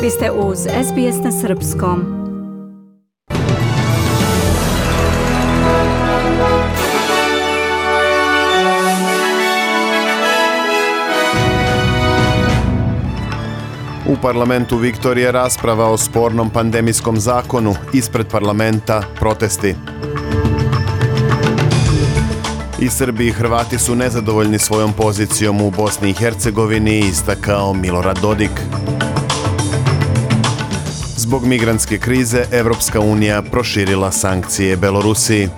Vi ste uz SBS na srpskom. U parlamentu Viktorije rasprava o spornom pandemijskom zakonu, ispred parlamenta protesti. I Srbi i Hrvati su nezadovoljni svojom pozicijom u Bosni i Hercegovini, istakao Milorad Dodik. Zbog migrantske krize, Evropska unija proširila sankcije Belorusiji.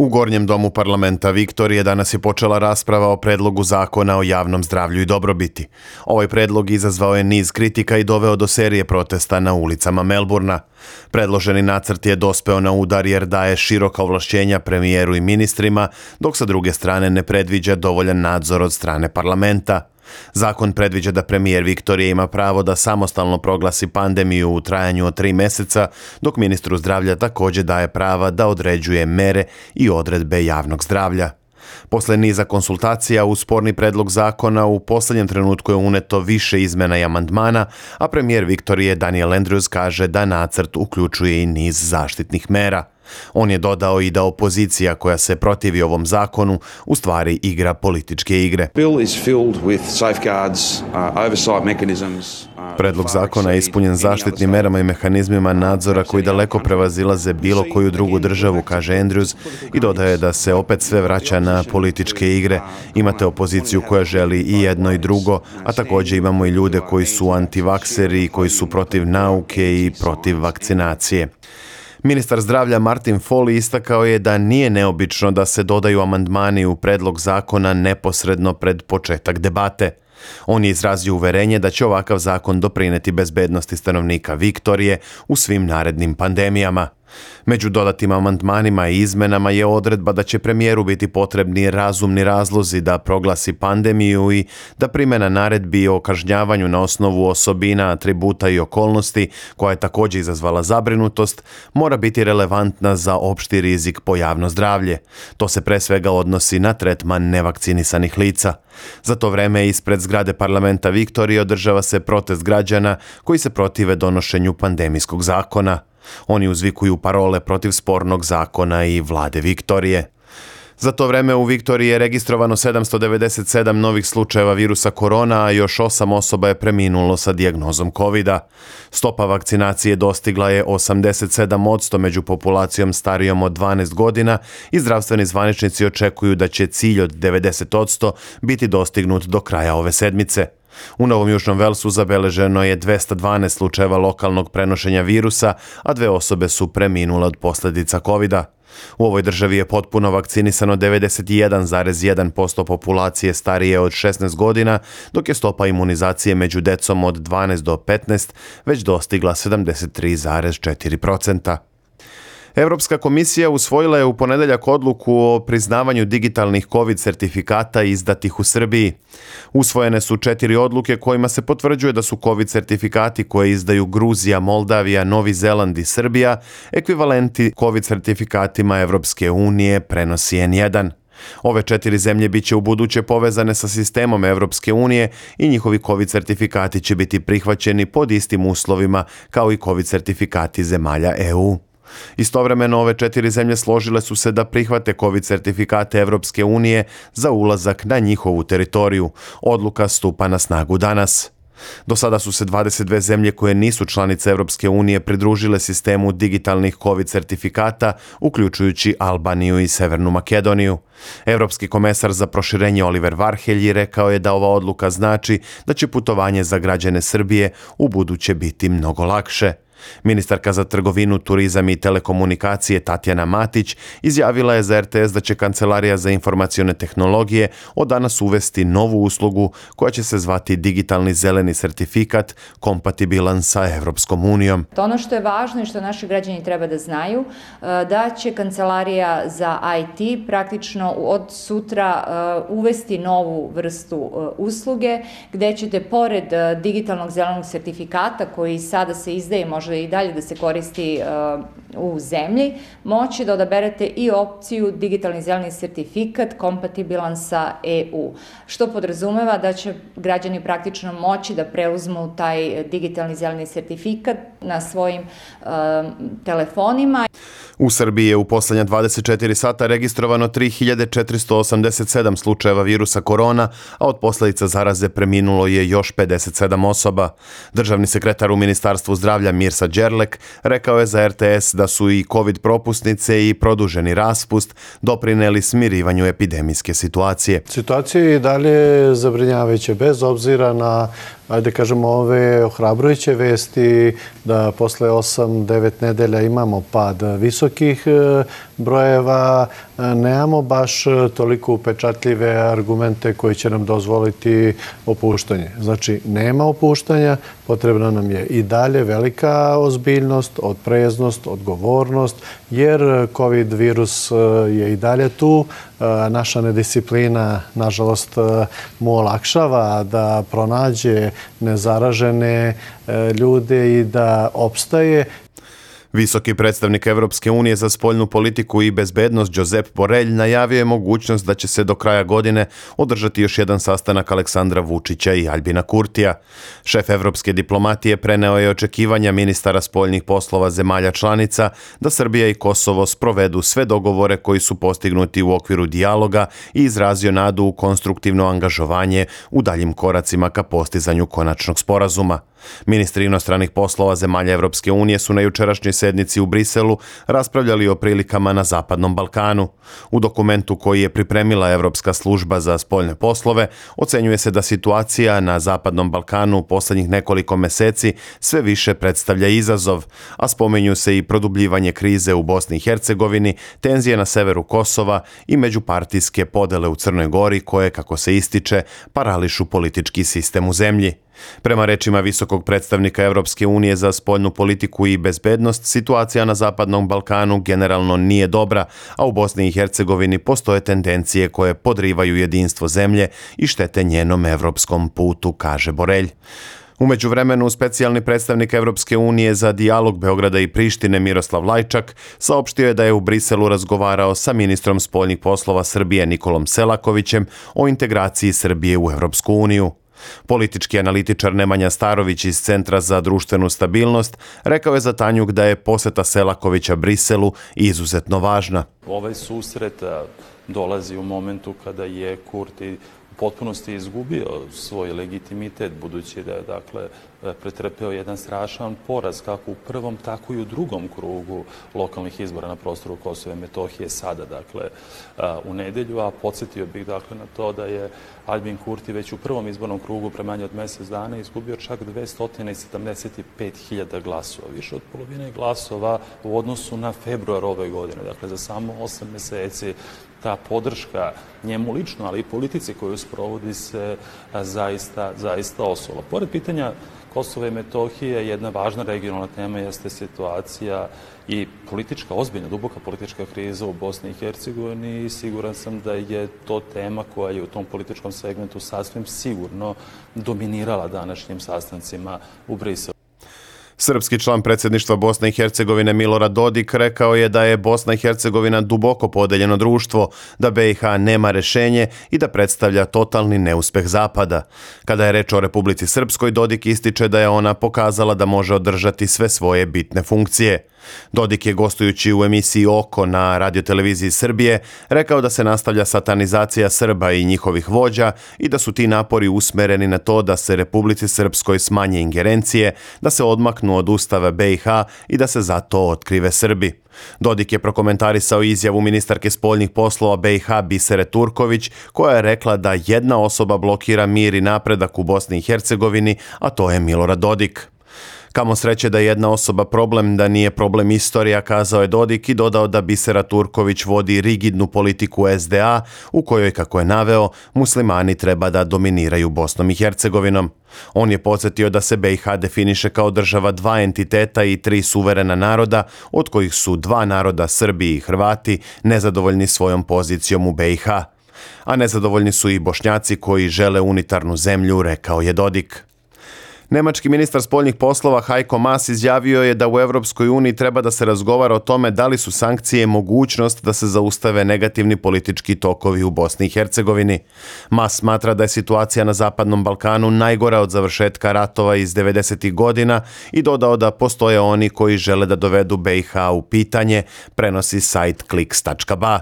U Gornjem domu parlamenta Viktorije danas je počela rasprava o predlogu zakona o javnom zdravlju i dobrobiti. Ovaj predlog izazvao je niz kritika i doveo do serije protesta na ulicama Melburna. Predloženi nacrt je dospeo na udar jer daje široka ovlašćenja premijeru i ministrima, dok sa druge strane ne predviđa dovoljan nadzor od strane parlamenta. Zakon predviđa da premijer Viktorije ima pravo da samostalno proglasi pandemiju u trajanju od 3 meseca, dok ministru zdravlja također daje prava da određuje mere i odredbe javnog zdravlja. Posle niza konsultacija u sporni predlog zakona u posljednjem trenutku je uneto više izmena i amandmana, a premijer Viktorije Daniel Andrews kaže da nacrt uključuje i niz zaštitnih mera. On je dodao i da opozicija koja se protivi ovom zakonu u stvari igra političke igre. Predlog zakona je ispunjen zaštitnim merama i mehanizmima nadzora koji daleko prevazilaze bilo koju drugu državu, kaže Andrews, i dodaje da se opet sve vraća na političke igre. Imate opoziciju koja želi i jedno i drugo, a također imamo i ljude koji su antivakseri, koji su protiv nauke i protiv vakcinacije. Ministar zdravlja Martin Foley istakao je da nije neobično da se dodaju amandmani u predlog zakona neposredno pred početak debate. On je izrazio uverenje da će ovakav zakon doprineti bezbednosti stanovnika Viktorije u svim narednim pandemijama. Među dodatim amandmanima i izmenama je odredba da će premijeru biti potrebni razumni razlozi da proglasi pandemiju i da primjena naredbi o kažnjavanju na osnovu osobina, atributa i okolnosti, koja je također izazvala zabrinutost, mora biti relevantna za opšti rizik po javno zdravlje. To se pre svega odnosi na tretman nevakcinisanih lica. Za to vreme ispred zgrade parlamenta Viktorije održava se protest građana koji se protive donošenju pandemijskog zakona. Oni uzvikuju parole protiv spornog zakona i vlade Viktorije. Za to vreme u Viktoriji je registrovano 797 novih slučajeva virusa korona, a još 8 osoba je preminulo sa dijagnozom COVID-a. Stopa vakcinacije dostigla je 87% među populacijom starijom od 12 godina i zdravstveni zvaničnici očekuju da će cilj od 90% biti dostignut do kraja ove sedmice. U Novom Južnom Velsu zabeleženo je 212 slučajeva lokalnog prenošenja virusa, a 2 osobe su preminule od posljedica COVID-a. U ovoj državi je potpuno vakcinisano 91,1% populacije starije od 16 godina, dok je stopa imunizacije među decom od 12 do 15 već dostigla 73,4%. Europska komisija usvojila je u ponedeljak odluku o priznavanju digitalnih COVID sertifikata izdatih u Srbiji. Usvojene su 4 odluke kojima se potvrđuje da su COVID sertifikati koje izdaju Gruzija, Moldavija, Novi Zeland i Srbija ekvivalenti COVID sertifikatima Evropske unije, prenosi N1. Ove 4 zemlje biće u buduće povezane sa sistemom Evropske unije i njihovi COVID sertifikati će biti prihvaćeni pod istim uslovima kao i COVID sertifikati zemalja EU. Istovremeno ove 4 zemlje složile su se da prihvate COVID sertifikate Evropske unije za ulazak na njihovu teritoriju. Odluka stupa na snagu danas. Do sada su se 22 zemlje koje nisu članice Evropske unije pridružile sistemu digitalnih COVID sertifikata, uključujući Albaniju i Severnu Makedoniju. Europski komesar za proširenje Oliver Varhelyi rekao je da ova odluka znači da će putovanje za građane Srbije u buduće biti mnogo lakše. Ministarka za trgovinu, turizam i telekomunikacije Tatjana Matić izjavila je za RTS da će Kancelarija za informacione tehnologije od danas uvesti novu uslugu koja će se zvati digitalni zeleni sertifikat kompatibilan sa Evropskom unijom. Ono što je važno i što naši građani treba da znaju, da će Kancelarija za IT praktično od sutra uvesti novu vrstu usluge gde ćete pored digitalnog zelenog sertifikata koji sada se izdaje, može može i dalje da se koristi u zemlji, moći da odaberete i opciju digitalni zeleni sertifikat kompatibilan sa EU, što podrazumeva da će građani praktično moći da preuzmu taj digitalni zeleni sertifikat na svojim telefonima. U Srbiji je u posljednja 24 sata registrovano 3487 slučajeva virusa korona, a od posljedica zaraze preminulo je još 57 osoba. Državni sekretar u Ministarstvu zdravlja Mirsa Đerlek rekao je za RTS da su i COVID propusnice i produženi raspust doprineli smirivanju epidemijske situacije. Situacija je i dalje zabrinjavajuća, bez obzira na, ajde kažemo, ove ohrabrujuće vesti da posle 8-9 nedelja imamo pad visokih brojeva, nemamo baš toliko upečatljive argumente koji će nam dozvoliti opuštanje. Znači, nema opuštanja, potrebna nam je i dalje velika ozbiljnost, opreznost, odgovornost, jer COVID virus je i dalje tu. Naša nedisciplina, nažalost, mu olakšava da pronađe nezaražene ljude i da opstaje. Visoki predstavnik Evropske unije za spoljnu politiku i bezbednost Josep Borrell najavio je mogućnost da će se do kraja godine održati još jedan sastanak Aleksandra Vučića i Aljbina Kurtija. Šef evropske diplomatije preneo je očekivanja ministara spoljnih poslova zemalja članica da Srbija i Kosovo sprovedu sve dogovore koji su postignuti u okviru dijaloga i izrazio nadu u konstruktivno angažovanje u daljim koracima ka postizanju konačnog sporazuma. Ministri inostranih poslova zemalja Evropske unije su na jučerašnjoj sednici u Briselu raspravljali o prilikama na Zapadnom Balkanu. U dokumentu koji je pripremila Evropska služba za spoljne poslove ocenjuje se da situacija na Zapadnom Balkanu u posljednjih nekoliko meseci sve više predstavlja izazov, a spominju se i produbljivanje krize u Bosni i Hercegovini, tenzije na severu Kosova i međupartijske podele u Crnoj Gori koje, kako se ističe, parališu politički sistem u zemlji. Prema rečima visokog predstavnika Evropske unije za spoljnu politiku i bezbednost, situacija na Zapadnom Balkanu generalno nije dobra, a u Bosni i Hercegovini postoje tendencije koje podrivaju jedinstvo zemlje i štete njenom evropskom putu, kaže Borrell. U međuvremenu, specijalni predstavnik Evropske unije za dijalog Beograda i Prištine Miroslav Lajčak saopštio je da je u Briselu razgovarao sa ministrom spoljnih poslova Srbije Nikolom Selakovićem o integraciji Srbije u Evropsku uniju. Politički analitičar Nemanja Starović iz Centra za društvenu stabilnost rekao je za Tanjug da je poseta Selakovića Briselu izuzetno važna. Ovaj susret dolazi u momentu kada je Kurti u potpunosti izgubio svoj legitimitet, budući da je pretrpeo jedan strašan poraz kako u prvom, tako i u drugom krugu lokalnih izbora na prostoru Kosova i Metohije sada, u nedelju, a podsjetio bih na to da je Aljbin Kurti već u prvom izbornom krugu pre manje od mjesec dana izgubio čak 275.000 glasova, više od polovine glasova u odnosu na februar ove godine. Dakle, za samo 8 mjeseci ta podrška njemu lično, ali i politici koju sprovodi se zaista osula. Pored pitanja Kosova i Metohije, jedna važna regionalna tema jeste situacija i politička, ozbiljna, duboka politička kriza u Bosni i Hercegovini i siguran sam da je to tema koja je u tom političkom segmentu sasvim sigurno dominirala današnjim sastancima u Briselu. Srpski član predsjedništva Bosne i Hercegovine Milorad Dodik rekao je da je Bosna i Hercegovina duboko podeljeno društvo, da BiH nema rješenje i da predstavlja totalni neuspeh Zapada. Kada je reč o Republici Srpskoj, Dodik ističe da je ona pokazala da može održati sve svoje bitne funkcije. Dodik je, gostujući u emisiji Oko na radioteleviziji Srbije, rekao da se nastavlja satanizacija Srba i njihovih vođa i da su ti napori usmereni na to da se Republici Srpskoj smanje ingerencije, da se odmaknu od Ustava BiH i da se zato otkrive Srbi. Dodik je prokomentarisao izjavu ministarke spoljnih poslova BiH Bisere Turković, koja je rekla da jedna osoba blokira mir i napredak u Bosni i Hercegovini, a to je Milorad Dodik. Kamo sreće da je jedna osoba problem, da nije problem istorija, kazao je Dodik i dodao da Bisera Turković vodi rigidnu politiku SDA u kojoj, kako je naveo, muslimani treba da dominiraju Bosnom i Hercegovinom. On je podsjetio da se BiH definiše kao država dva entiteta i tri suverena naroda, od kojih su dva naroda, Srbi i Hrvati, nezadovoljni svojom pozicijom u BiH. A nezadovoljni su i Bošnjaci koji žele unitarnu zemlju, rekao je Dodik. Nemački ministar spoljnih poslova Heiko Maas izjavio je da u Europskoj uniji treba da se razgovara o tome da li su sankcije mogućnost da se zaustave negativni politički tokovi u Bosni i Hercegovini. Maas smatra da je situacija na Zapadnom Balkanu najgora od završetka ratova iz 90. godina i dodao da postoje oni koji žele da dovedu BiH u pitanje, prenosi sajt kliks.ba.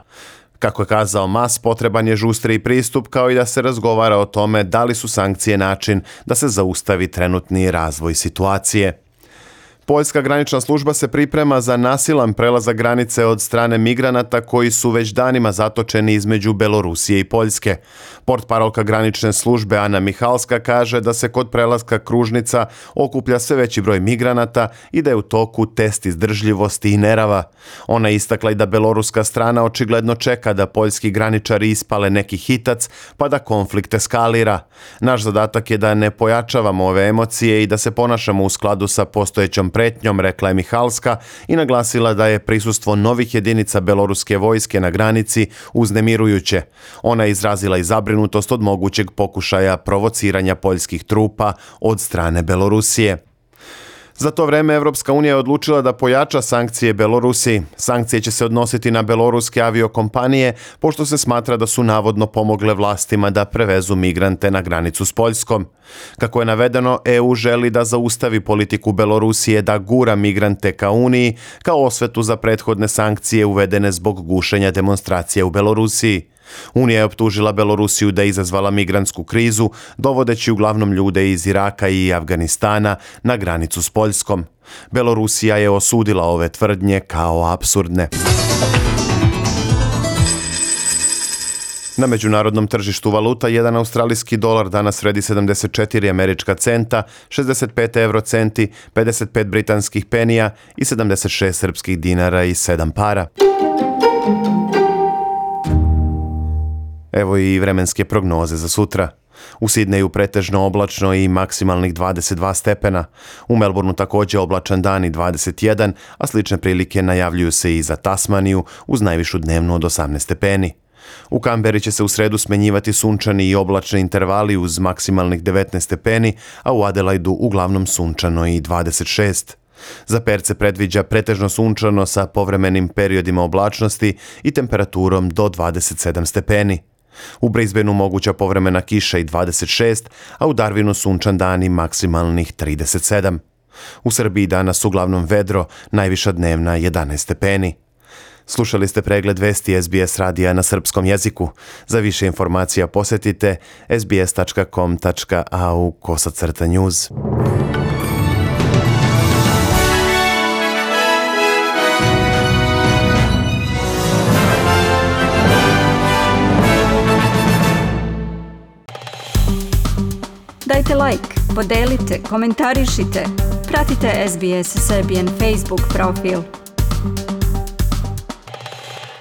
Kako je kazao Maas, potreban je žustriji pristup kao i da se razgovara o tome da li su sankcije način da se zaustavi trenutni razvoj situacije. Poljska granična služba se priprema za nasilan prelazak granice od strane migranata koji su već danima zatočeni između Belorusije i Poljske. Portparolka granične službe Ana Mihalska kaže da se kod prelaska kružnica okuplja sve veći broj migranata i da je u toku test izdržljivosti i nerava. Ona je istakla i da beloruska strana očigledno čeka da poljski graničari ispale neki hitac pa da konflikt eskalira. Naš zadatak je da ne pojačavamo ove emocije i da se ponašamo u skladu sa postojećom pretnjom, rekla je Mihalska i naglasila da je prisustvo novih jedinica beloruske vojske na granici uznemirujuće. Ona je izrazila i zabrinutost od mogućeg pokušaja provociranja poljskih trupa od strane Belorusije. Za to vreme Evropska unija je odlučila da pojača sankcije Belorusiji. Sankcije će se odnositi na beloruske aviokompanije, pošto se smatra da su navodno pomogle vlastima da prevezu migrante na granicu s Poljskom. Kako je navedeno, EU želi da zaustavi politiku Belorusije da gura migrante ka Uniji, kao osvetu za prethodne sankcije uvedene zbog gušenja demonstracije u Belorusiji. Unija je optužila Belorusiju da je izazvala migrantsku krizu, dovodeći uglavnom ljude iz Iraka i Afganistana na granicu s Poljskom. Belorusija je osudila ove tvrdnje kao apsurdne. Na međunarodnom tržištu valuta jedan australijski dolar danas vredi 74 američka centa, 65 eurocenti, 55 britanskih penija i 76 srpskih dinara i 7 para. Evo i vremenske prognoze za sutra. U Sidneju pretežno oblačno i maksimalnih 22 stepena. U Melbourneu također oblačan dan i 21, a slične prilike najavljuju se i za Tasmaniju uz najvišu dnevnu od 18 stepeni. U Kamberi će se u sredu smenjivati sunčani i oblačni intervali uz maksimalnih 19 stepeni, a u Adelaidu uglavnom sunčano i 26. Za Perth se predviđa pretežno sunčano sa povremenim periodima oblačnosti i temperaturom do 27 stepeni. U Brisbaneu moguća povremena kiša i 26, a u Darwinu sunčan dan i maksimalnih 37. U Srbiji danas uglavnom vedro, najviša dnevna 11 stepeni. Slušali ste pregled vesti SBS radija na srpskom jeziku. Za više informacija posjetite sbs.com.au/news. Dajte like, podelite, komentarišite. Pratite SBS Serbian Facebook profil.